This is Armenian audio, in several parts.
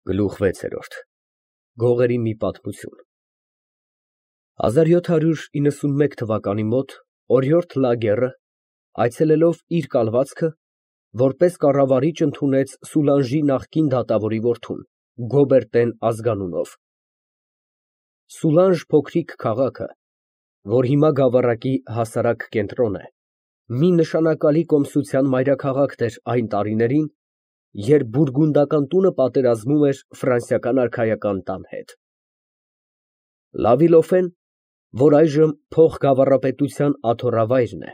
Գլուխ 6 Գողերի մի պատմություն 1791 թվականի մոտ օրիորդ Լագերը, այցելելով իր կալվածքը, որպես կառավարիչ ընդունեց Սուլանժի նախկին դատավորի որդուն, Գոբերտեն ազգանունով։ Սուլանժ փոքրիկ քաղաքը, որ հիմա Գավառակի հասարակ կենտրոն է, մի նշանակալի կոմսության մայրաքաղաքն էր այն տարիներին, երբ բուրգունդական տունը պատերազմում էր ֆրանսիական արքայական տան հետ։ Լավիլոֆեն, որ այժմ փոխգավառապետության աթոռավայրն է,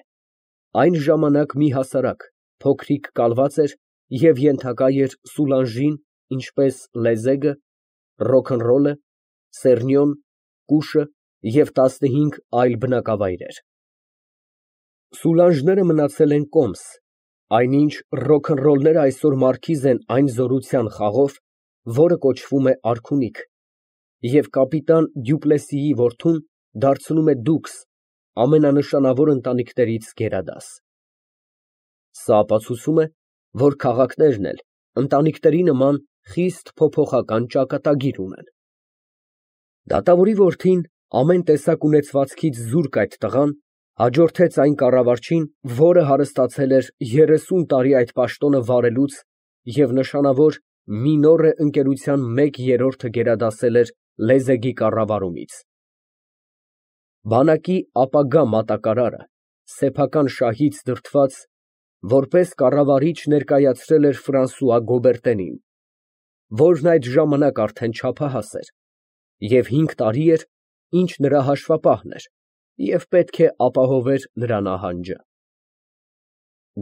այն ժամանակ մի հասարակ, փոքրիկ կալված էր և ենթակա էր Սուլանժին, ինչպես Լեզեգը, ռոքնռոլը, Սեռնյոն, Կուշը և 15 այլ բնակավայրեր։ Սուլանժները մնացել են կոմս, այնինչ ռոքնռոլները այսօր մարքիզ են այն զորության խաղով, որը կոչվում է արքունիք, և կապիտան Դյուպլեսիի որդուն դարձնում է դուքս, ամենանշանավոր ընտանիքներից գերադաս։ Սա ապացուցում է, որ քաղաքներն էլ ընտանիքների նման խիստ փոփոխական ճակատագիր ունեն։ Դատավորի որդին, ամեն տեսակ ունեցվածքից զուրկ այդ տղան, հաջորդեց այն կառավարչին, որը հարստացել էր 30 տարի այդ պաշտոնը վարելուց և նշանավոր Մինորե ընկերության 1/3-ը գերադասել էր Լեզեգի կառավարումից։ Բանակի ապագա մատակարարը, սեփական շահից դրդված, որպես կառավարիչ ներկայացրել էր Ֆրանսուଆ Գոբերտենին, որն այդ ժամանակ արդեն չափահաս էր, և 5 տարի էր, ինչ նրա հաշվապահն էր և պետք է ապահովեր նրա նահանջը։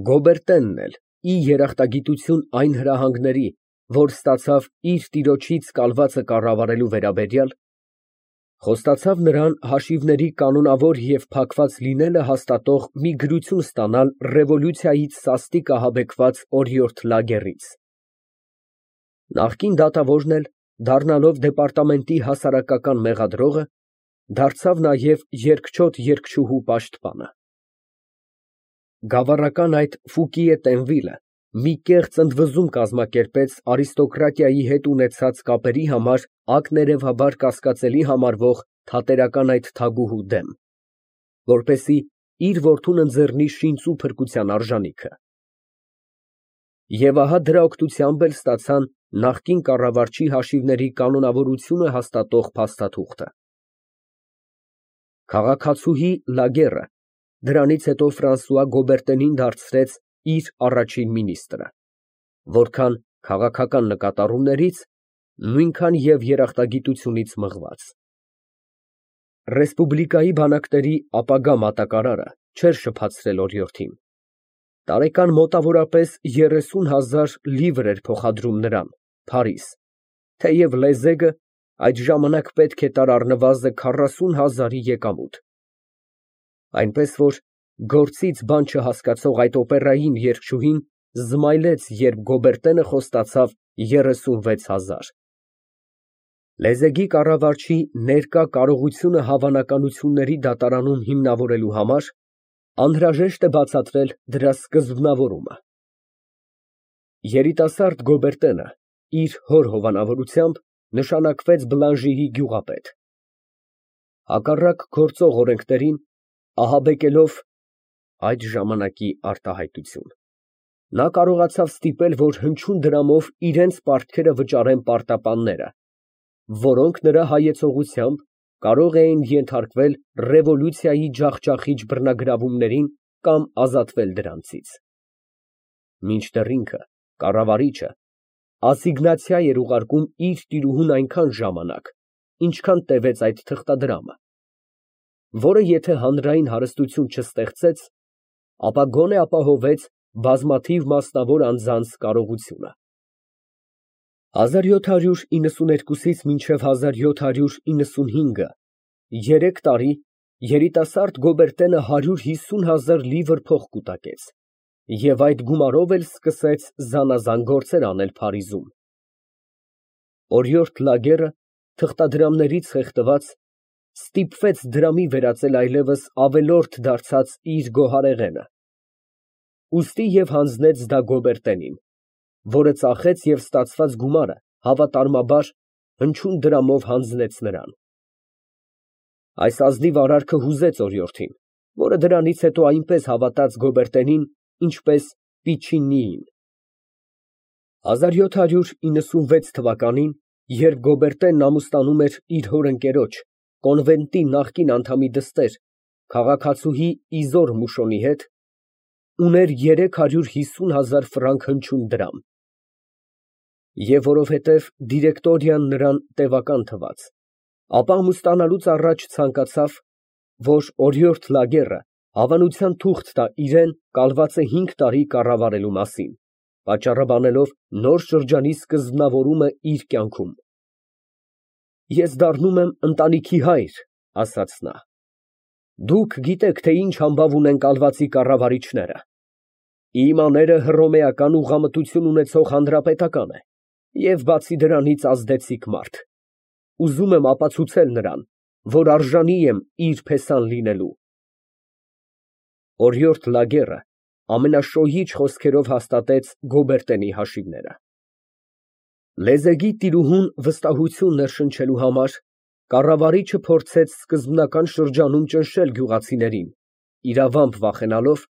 Գոբերտենն էլ, ի երախտագիտություն այն հրահանգների, որ ստացավ իր տիրոջից կալվածը կառավարելու վերաբերյալ, խոստացավ նրան հաշիվների կանոնավոր և փակված լինելը հաստատող մի գրություն ստանալ ռևոլյուցիայից սաստիկ ահաբեկված օրիորդ Լագերից։ Նախկին դատավորն էլ, դառնալով դեպարտամենտի հասարակական մեղադրողը, դարձավ նաև երկչոտ երգչուհու պաշտպանը։ Գավառական այդ Ֆուկիե Տենվիլը մի կեղծ ընդվզում կազմակերպեց արիստոկրատիայի հետ ունեցած կապերի համար ակներևաբար կասկածելի համարվող թատերական այդ թագուհու դեմ, որպեսզի իր որդուն ընձեռնի շինծ ու փրկության արժանիքը։ Եվ ահա դրա օգնությամբ էլ ստացան նախկին կառավարչի հաշիվների կանոնավորությունը հաստատող փաստաթուղթը։ Քաղաքացուհի Լագերը դրանից հետո Ֆրանսուଆ Գոբերտենին դարձրեց իր առաջին մինիստրը, որքան քաղաքական նկատառումներից, նույնքան և երախտագիտությունից մղված։ Ռեսպուբլիկայի բանակների ապագա մատակարարը չէր շփացրել օրիորդին, տարեկան մոտավորապես 30,000 լիվր էր փոխադրում նրան, Փարիզ, թեև Լեզեգը այդ ժամանակ պետք է տար առնվազն 40,000-ի եկամուտ, այնպես որ գործից բան չհասկացող այդ օպերային երգչուհին զմայլեց, երբ Գոբերտենը խոստացավ 36,000։ Լեզեգի կառավարչի ներկա կարողությունը հավանականությունների դատարանում հիմնավորելու համար անհրաժեշտ է բացատրել դրա սկզբնավորումը։ Երիտասարդ Գոբերտենը իր հոր հովանավորությամբ նշանակվեց Բլանժիի գյուղապետ։ Հակառակ գործող օրենքներին, ահաբեկելով (այդ ժամանակի արտահայտություն) նա կարողացավ ստիպել, որ հնչյուն դրամով իրենց պարտքերը վճարեն պարտապանները, որոնք նրա հայեցողությամբ կարող էին ենթարկվել ռևոլյուցիայի ջախջախիչ բռնագրավումներին կամ ազատվել դրանցից։ Մինչդեռ ինքը, կառավարիչը, ասիգնացիա էր ուղարկում իր տիրուհուն այնքան ժամանակ, ինչքան տևեց այդ թղթադրամը, որը եթե հանրային հարստություն չստեղծեց, ապա գոնե ապահովեց բազմաթիվ մասնավոր անձանց կարողությունը։ 1792-ից մինչև 1795 3 տարի երիտասարդ Գոբերտենը 150,000 լիվր փող կուտակեց և այդ գումարով էլ սկսեց զանազան գործեր անել Փարիզում։ Օրիորդ Լագերը, թղթադրամներից խեղդված, ստիպվեց դրամի վերածել այլևս ավելորդ դարձած իր գոհարեղենը, ուստի և հանձնեց դա Գոբերտենին, որը ծախեց և ստացված գումարը հավատարմաբար հնչյուն դրամով հանձնեց նրան։ Այս ազնիվ արարքը հուզեց օրիորդին, որը դրանից հետո այնպես հավատաց Գոբերտենին, ինչպես Պիչինիին։ 1796 թվականին, երբ Գոբերտենն ամուսնանում էր իր հոր ընկերոջ, կոնվենտի նախկին անդամի դստեր, քաղաքացուհի Իզոր Մուշոնի հետ, ուներ 350,000 ֆրանկ հնչյուն դրամ։ Եվ որովհետև դիրեկտորիան նրան տևական թվաց, ապա ամուսնանալուց առաջ ցանկացավ, որ օրիորդ Լագերը հավանության թուղթ տա իրան կալվածը 5 տարի կառավարելու մասին, պատճառը բանելով նոր շրջանի սկզբնավորումը իր կյանքում։ Ես դառնում եմ ընտանիքի հայր, ասաց նա։ Դուք գիտեք, թե ինչ համբավ ունեն կալվածի կառավարիչները։ Իմ աները հռոմեական ուղղամտություն ունեցող հանրապետական է, և բացի դրանից ազդեցիկ մարդ։ Ուզում եմ ապացուցել նրան, որ արժանի եմ իր փեսան լինելու։ Օրիորդ Լագերը ամենաշոյիչ խոսքերով հաստատեց Գոբերտենի հաշիվները։ Լեզեգի տիրուհուն վստահություն ներշնչելու համար կառավարիչը փորձեց սկզբնական շրջանում ճնշել գյուղացիներին, իրավամբ վախենալով,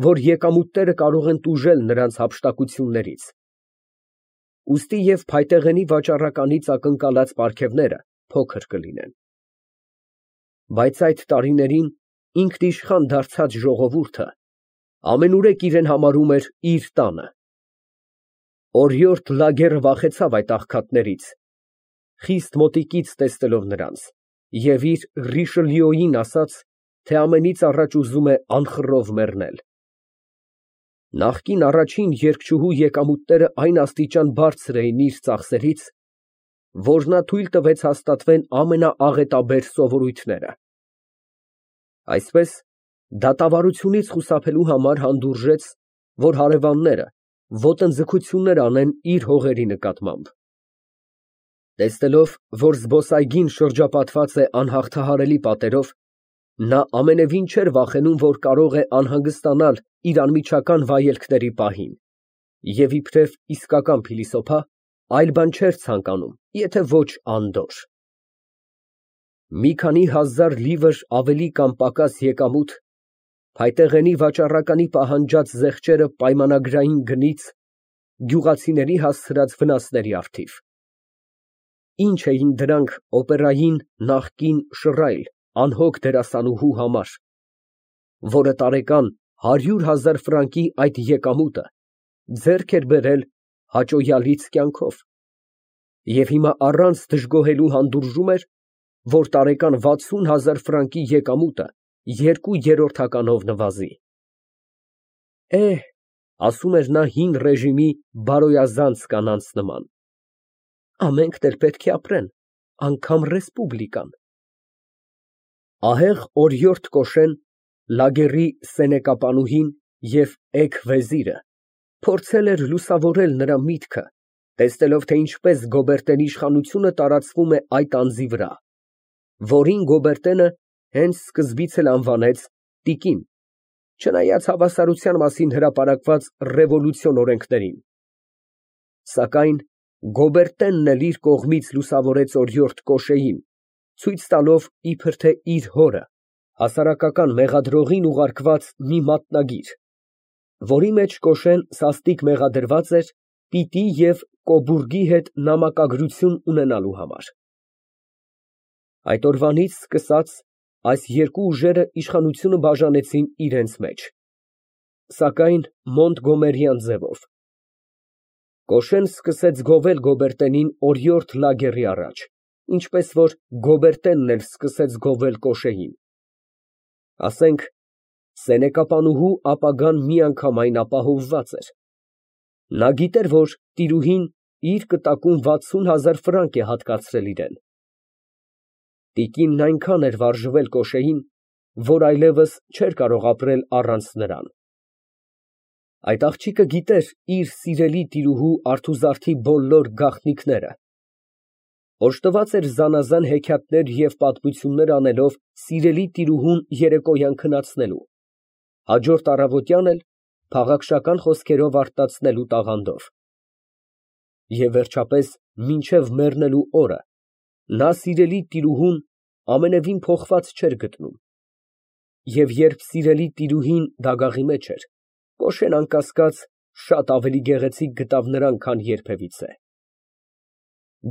որ եկամուտները կարող են տուժել նրանց հափշտակություններից։ Ուստի և փայտեղենի վաճառականից ակնկալած պարգևները փոքր կլինեն։ Բայց այդ տարիներին ինքնիշխան դարձած ժողովուրդը ամենուրեք իրեն համարում էր իր տանը։ Օրիորդ Լագերը վախեցավ այդ աղքատներից, խիստ մոտիկից տեսնելով նրանց, և իր Ռիշելյոյին ասաց, թե ամենից առաջ ուզում է անխռով մեռնել։ Նախկին առաջին երգչուհու եկամուտները այն աստիճան բարձր էին իր ծախսերից, որ նա թույլ տվեց հաստատվեն ամենաաղետաբեր սովորույթները։ Այսպես, դատավարությունից խուսափելու համար հանդուրժեց, որ հարևանները ոտնձգություններ անեն իր հողերի նկատմամբ։ Տեսնելով, որ զբոսայգին շրջապատված է անհաղթահարելի պատերով, նա ամենևին չէր վախենում, որ կարող է անհանգստանալ իր անմիջական վայելքների պահին, և իբրև իսկական փիլիսոփա, այլ բան չէր ցանկանում, եթե ոչ անդորր։ Մի քանի հազար լիվր ավելի կամ պակաս եկամուտ, փայտեղենի վաճառականի պահանջած զեղչերը պայմանագրային գնից, գյուղացիների հասցրած վնասների առթիվ։ Ինչ էին դրանք օպերային նախկին շռայլ, անհոգ դերասանուհու համար, որը տարեկան 100,000 ֆրանկի այդ եկամուտը ձեռք էր բերել հաճոյալից կյանքով, և հիմա առանց դժգոհելու հանդուրժում էր, որ տարեկան 60,000 ֆրանկի եկամուտը 2/3-ականով նվազի։ Ասում էր նա հին ռեժիմի բարոյազանց կանանց նման, ամենքն էլ պետք է ապրեն, անգամ ռեսպուբլիկան։ Ահեղ օրիորդ Կոշեն, Լագերի սենեկապանուհին և էգ֊վեզիրը փորձել էր լուսավորել նրա միտքը, տեսնելով, թե ինչպես Գոբերտենի իշխանությունը տարածվում է այդ անձի վրա, որին Գոբերտենը հենց սկզբից էլ անվանեց տիկին, չնայած հավասարության մասին հրապարակված ռևոլյուցիոն օրենքներին։ Սակայն Գոբերտենն էլ իր կողմից լուսավորեց օրիորդ Կոշեին, ցույց տալով, իբր թե իր հորը, հասարակական մեղադրողին ուղարկված մի մատնագիր, որի մեջ Կոշեն սաստիկ մեղադրված էր պիտի և Կոբուրգի հետ նամակագրություն ունենալու համար։ Այդ օրվանից սկսած այս երկու ուժերը իշխանությունը բաժանեցին իրենց մեջ, սակայն մոնտգոմերյան ձևով։ Կոշեն սկսեց գովել Գոբերտենին օրիորդ Լագերի առաջ, ինչպես որ Գոբերտենն էլ սկսեց գովել Կոշեին։ Ասենք, սենեկապանուհու ապագան միանգամայն ապահովված էր։ Նա գիտեր, որ տիրուհին իր կտակում 60,000 ֆրանկ է հատկացրել իրան։ Տիկինն այնքան էր վարժվել Կոշեին, որ այլևս չէր կարող ապրել առանց նրան։ Այդ աղջիկը գիտեր իր սիրելի տիրուհու արթուզարդի բոլոր գաղտնիքները, օժտված էր զանազան հեքիաթներ և պատմություններ անելով սիրելի տիրուհուն երեկոյան քնացնելու, հաջորդ առավոտյան էլ փաղաքշական խոսքերով արտացնելու տաղանդով։ Եվ վերջապես մինչև մեռնելու օրը նա սիրելի տիրուհուն ամենևին փոխված չէր գտնում, և երբ սիրելի տիրուհին դագաղի մեջ էր, Կոշեն անկասկած շատ ավելի գեղեցիկ գտավ նրան, քան երբևիցե։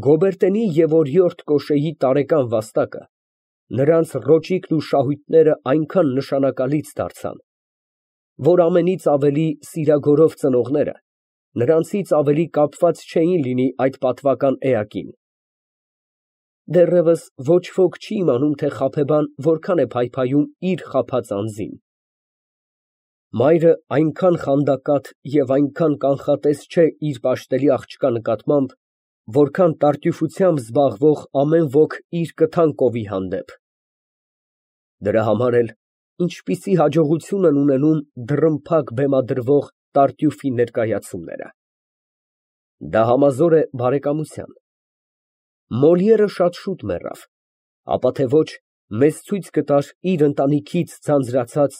Գոբերտենի և օրիորդ Կոշեի տարեկան վաստակը նրանց ռոճիկն ու շահույթները այնքան նշանակալից դարձան, որ ամենից ավելի սիրագորով ծնողները նրանցից ավելի կապված չէին լինի այդ պատվական էակին։ Դեռևս ոչ ոք չի իմանում, թե խաբեբան որքան է փայփայում իր խաբած անձին։ Մայրը այնքան խանդակատ և այնքան կանխատես չէ իր պաշտելի աղջկա նկատմամբ, որքան տարտյուֆությամբ զբաղվող ամեն ոք իր կթան կովի հանդեպ։ Դրա համար էլ ինչպիսի հաջողություն են ունենում դռնփակ բեմադրվող տարտյուֆի ներկայացումները։ Դա համազոր է բարեկամության։ Մոլիերը շատ շուտ մեռավ, ապա թե ոչ մեզ ցույց կտար իր ընտանիքից ձանձրացած,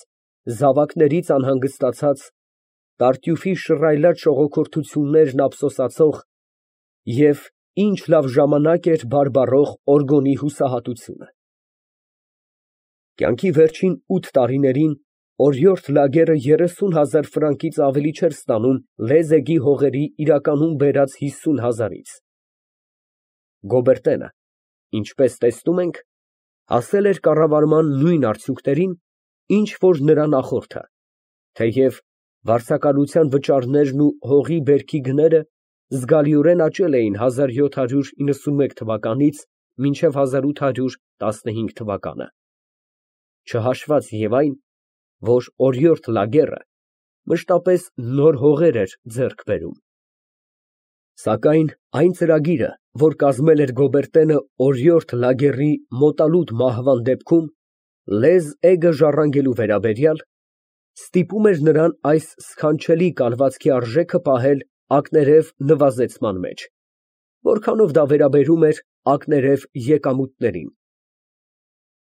զավակներից անհանգստացած, տարտյուֆի շռայլած շողոքորթություններն ափսոսացող և ինչ լավ ժամանակ էր բարբառող Օրգոնի հուսահատությունը։ Կյանքի վերջին 8 տարիներին օրիորդ Լագերը 30,000 ֆրանկից ավելի չէր ստանում Լեզեգի հողերի իրականում բերած 50,000-ից։ Գոբերտենը, ինչպես տեսնում ենք, հասել էր կառավարման նույն արդյունքներին, ինչ որ նրա նախորդը, թեև վարձակալության վճարներն ու հողի բերքի գները զգալիորեն աճել էին 1791 թվականից մինչև 1815 թվականը, չհաշված և այն, որ օրիորդ Լագերը մշտապես նոր հողեր էր ձեռք բերում։ Սակայն այն ծրագիրը, որ կազմել էր Գոբերտենը օրիորդ Լագերի մոտալուտ մահվան դեպքում Լեզ էգը ժառանգելու վերաբերյալ, ստիպում էր նրան այս սքանչելի կալվածքի արժեքը պահել ակներև նվազեցման մեջ, որքանով դա վերաբերում էր ակներև եկամուտներին։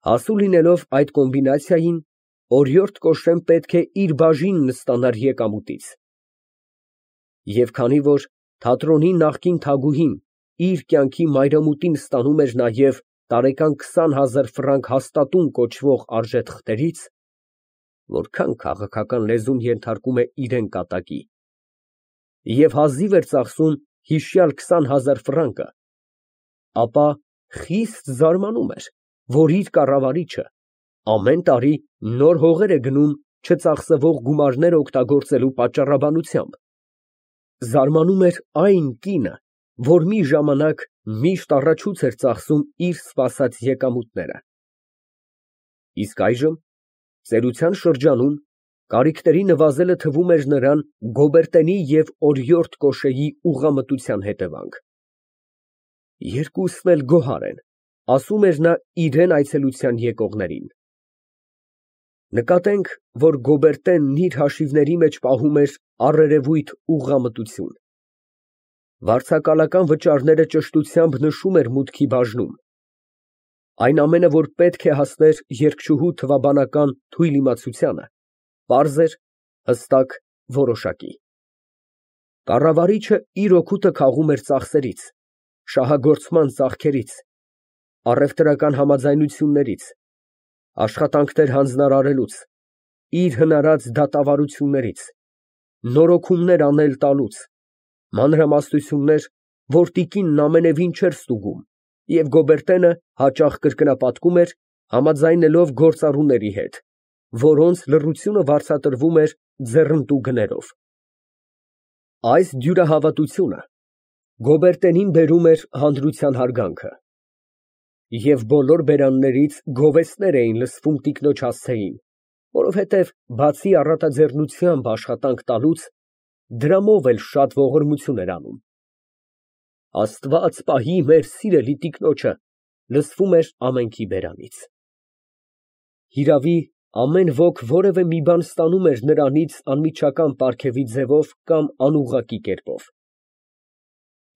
Հասու լինելով այդ կոմբինացիային, օրիորդ Կոշեն պետք է իր բաժինն ստանար եկամուտից։ Եվ քանի որ թատրոնի նախկին թագուհին իր կյանքի մայրամուտին ստանում էր նաև տարեկան 20,000 ֆրանկ հաստատուն կոչվող արժեթղթերից, որքան քաղաքական լեզուն ենթարկում է իրեն կատակի, և հազիվ էր ծախսում հիշյալ 20,000 ֆրանկը, ապա խիստ զարմանում էր, որ իր կառավարիչը ամեն տարի նոր հողեր է գնում չծախսվող գումարներ օգտագործելու պատճառաբանությամբ։ Զարմանում էր այն կինը, որ մի ժամանակ միշտ առաջուց էր ծախսում իր սպասած եկամուտները։ Իսկ այժմ, ծերության շրջանում, կարիքների նվազելը թվում էր նրան Գոբերտենի և օրիորդ Կոշեի ուղղամտության հետևանք։ Երկուսն էլ գոհար են, ասում էր նա իրան այցելության եկողներին։ Նկատենք, որ Գոբերտենն իր հաշիվների մեջ պահում էր առերևույթ ուղղամտություն։ Վարձակալական վճարները ճշտությամբ նշում էր մուտքի բաժնում։ Այն ամենը, որ պետք է հասներ երգչուհու թվաբանական թույլ իմացությանը, պարզ էր, հստակ, որոշակի։ Կառավարիչը իր օգուտը քաղում էր ծախսերից, շահագործման ծախքերից, առևտրական համաձայնություններից, աշխատանքներ հանձնարարելուց, իր հնարած դատավարություններից, նորոգումներ անել տալուց, մանրամասնություններ, որ տիկինն ամենևին չէր ստուգում, և Գոբերտենը հաճախ կրկնապատկում էր, համաձայնելով գործառուների հետ, որոնց լռությունը վարձատրվում էր ձեռնտու գներով։ Այս դյուրահավատությունը Գոբերտենին բերում էր հանրության հարգանքը, և բոլոր բերաններից գովեստներ էին լսվում տիկնոջ հասցեին, որովհետև բացի առատաձեռնությամբ աշխատանք տալուց, դրամով էլ շատ ողորմություն էր անում։ Աստված պահի մեր սիրելի տիկնոջը, լսվում էր ամենքի բերանից։ Հիրավի, ամեն ոք որևէ մի բան ստանում էր նրանից անմիջական պարգևի ձևով կամ անուղղակի կերպով։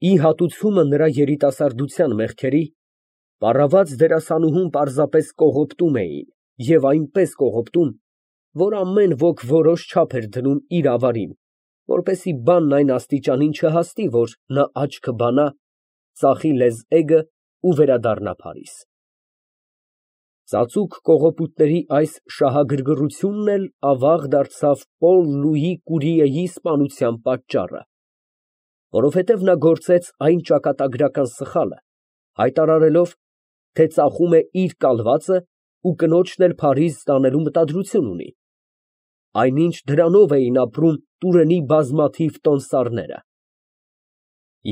Ի հատուցումը նրա երիտասարդության մեղքերի, պառաված դերասանուհուն պարզապես կողոպտում էին և այնպես կողոպտում, որ ամեն ոք որոշ չափ էր դնում իր ավարին, որպեսզի բանն այն աստիճանին չհասնի, որ նա աչքը բանա, ծախի լեզէգը ու վերադառնա Փարիզ։ Ծածուկ կողոպուտների այս շահագրգռությունն էլ ավաղ դարձավ Պոլ Լուի Կուրիեի սպանության պատճառը, որովհետև նա գործեց այն ճակատագրական սխալը, հայտարարելով, թե ծախում է իր կալվածը ու կնոջն էլ Փարիզ տանելու մտադրություն ունի, այնինչ դրանով էին ապրում Տուրենի բազմաթիվ տոմսարները։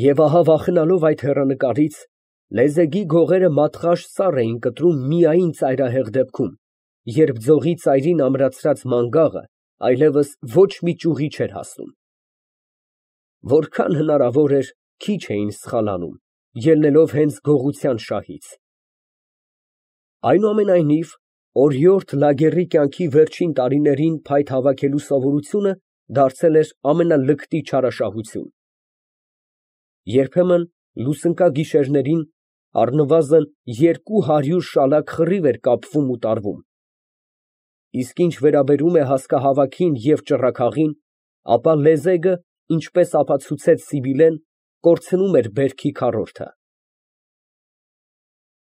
Եվ ահա վախենալով այդ հեռանկարից, լեզեգի գողերը մատղաշ սառ էին կտրում միայն ծայրահեղ դեպքում, երբ ձողի ծայրին ամրացրած մանգաղը այլևս ոչ մի ճյուղի չէր հասնում։ Որքան հնարավոր էր, քիչ էին սխալանում, ելնելով հենց գողության շահից։ Այնուամենայնիվ, օրիորդ Լագերի կյանքի վերջին տարիներին փայտ հավաքելու սովորությունը դարձել էր ամենալկտի չարաշահություն։ Երբեմն լուսնկագիշերներին առնվազն 200 շալակ խռիվ էր կապվում ու տարվում, իսկ ինչ վերաբերում է հասկահավաքին և ճռռագաղին, ապա լեզեգը, ինչպես ապացուցեց Սիբիլեն, կորցնում էր բերքի քառորդը։